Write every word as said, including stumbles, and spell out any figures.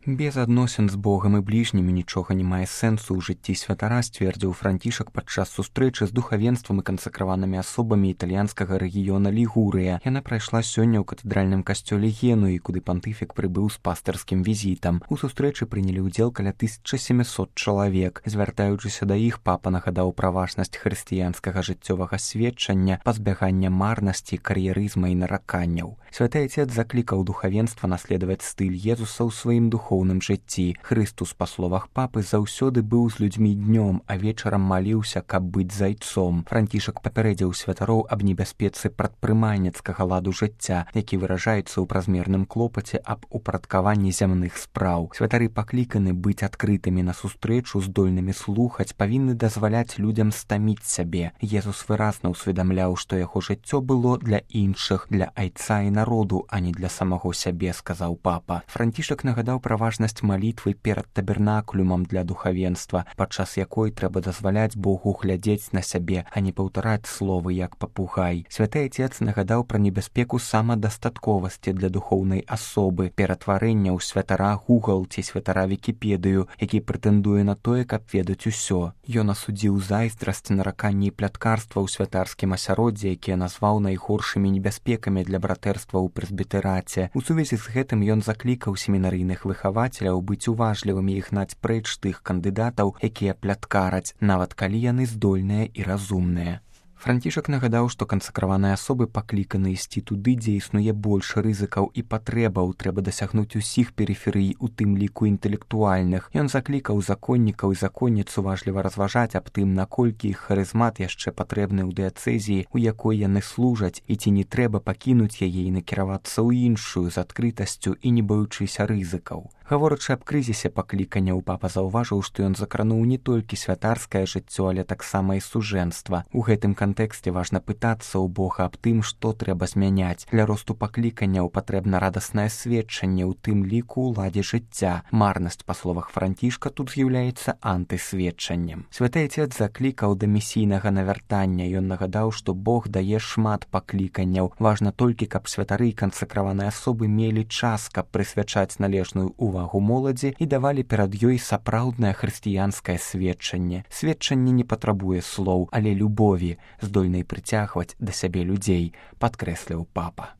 Без адносін з Богам і бліжнімі нічога не мае сэнсу ў жыцці святара, сцвердзіў Францішак падчас сустрэчы з духавенствам і кансакраванымі асобамі італьянскага рэгіёна Лігурыя. Яна прайшла сёння ў катэдральным касцёле Генуі, куды пантыфік прыбыў з пастырскім візітам. У сустрэчы прынялі ўдзел каля тысяча сямісот чалавек. Звяртаючыся да іх, папа нагадаў пра важнасць хрысціянскага жыццёвага сведчання, пазбягання марнасці, кар'ерызма і нараканняў. Святы Отец заклікаў духавенства наследаваць стыль Езуса ў сваім духоўным жыцці. Хрыстус, па словах папы, заўсёды быў з людзьмі днём, а вечарам маліўся, каб быць зайцом. Францішак папярэдзіў святароў аб небяспецы прадпрымальніцкага ладу жыцця, які выражаецца ў празмерным клопаце аб упарадкаванні зямных спраў. Святары пакліканы быць адкрытымі на сустрэчу, здольнымі слухаць, павінны дазваляць людзям стаміць сябе. Езус выразна ўсведамляў, што яго жыццё было для іншых, для айца і народу, а не для самого сябе, сказаў папа. Францішак нагадаў пра важнасць малітвы перад табернаклюмам для духавенства, падчас якой трэба дазваляць Богу глядзець на сябе, а не паўтараць словы як папугай. Святы Отец нагадаў пра небяспеку самадастатковасці для духоўнай асобы, ператварэння ў святара Google ці святара Вікіпедыю, які прэтэндуе на тое, каб ведаць усё. Ён асудзіў зайздрасць, нараканні і пляткарства ў святарскім асяроддзі, якія назваў найгоршымі небяспекамі для братэрства ў прэзбітараце. У сувязі з гэтым ён заклікаў семінарыйных выхавацеляў быць уважлівымі і гнаць прэч тых кандыдатаў, якія пляткараць, нават калі яны здольныя і разумныя. Францішак нагадаў, што кансакраваныя асобы пакліканы ісці туды, дзе існуе больш рызыкаў і патрэбаў, трэба дасягнуць усіх перыферый, у тым ліку інтэлектуальных. Ён заклікаў законнікаў і законніц уважліва разважаць аб тым, наколькі іх харызмат яшчэ патрэбны ў дыяцэзіі, у якой яны служаць, і ці не трэба пакінуць яе і накіравацца ў іншую з адкрытасцю і не баючыся рызыкаў. Гаворачы аб крызісе пакліканняў, папа заўважыў, што ён закрануў не толькі святарскае жыццё, але таксама і сужэнства. У гэтым кантэксце важна пытацца ў Бога аб тым, што трэба змяняць. Для росту пакліканняў патрэбна радаснае сведчанне, у тым ліку ўладзе жыцця. Марнасць, па словах Францішка, тут з'яўляецца антысведчаннем. Святы Отец заклікаў да місійнага навяртання. Ён нагадаў, што Бог дае шмат пакліканняў. Важна толькі, каб святары і кансакраваныя асобы мелі час, каб прысвячаць належную увагу увагу моладзі і давалі перад ёй сапраўднае хрысціянскае сведчанне. Сведчанне не патрабуе слоў, але любові, здольнай прыцягваць да сябе людзей, падкрэсліў папа.